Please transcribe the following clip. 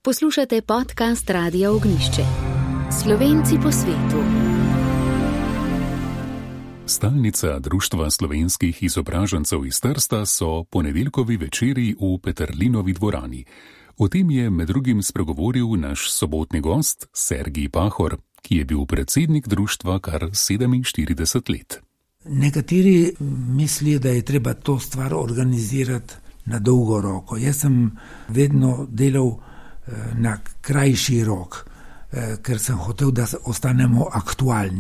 Poslušate podcast Radia Ognjišče. Slovenci po svetu. Stalnica Društva slovenskih izobražencev iz Trsta so ponedeljkovi večeri v Peterlinovi dvorani. O tem je med drugim spregovoril naš sobotni gost Sergij Pahor, ki je bil predsednik društva kar 47 let. Nekateri mislijo, da je treba to stvar organizirati na dolgo roko. Jaz sem vedno delal na krajši rok, ker sem hotel, da ostanemo aktualni.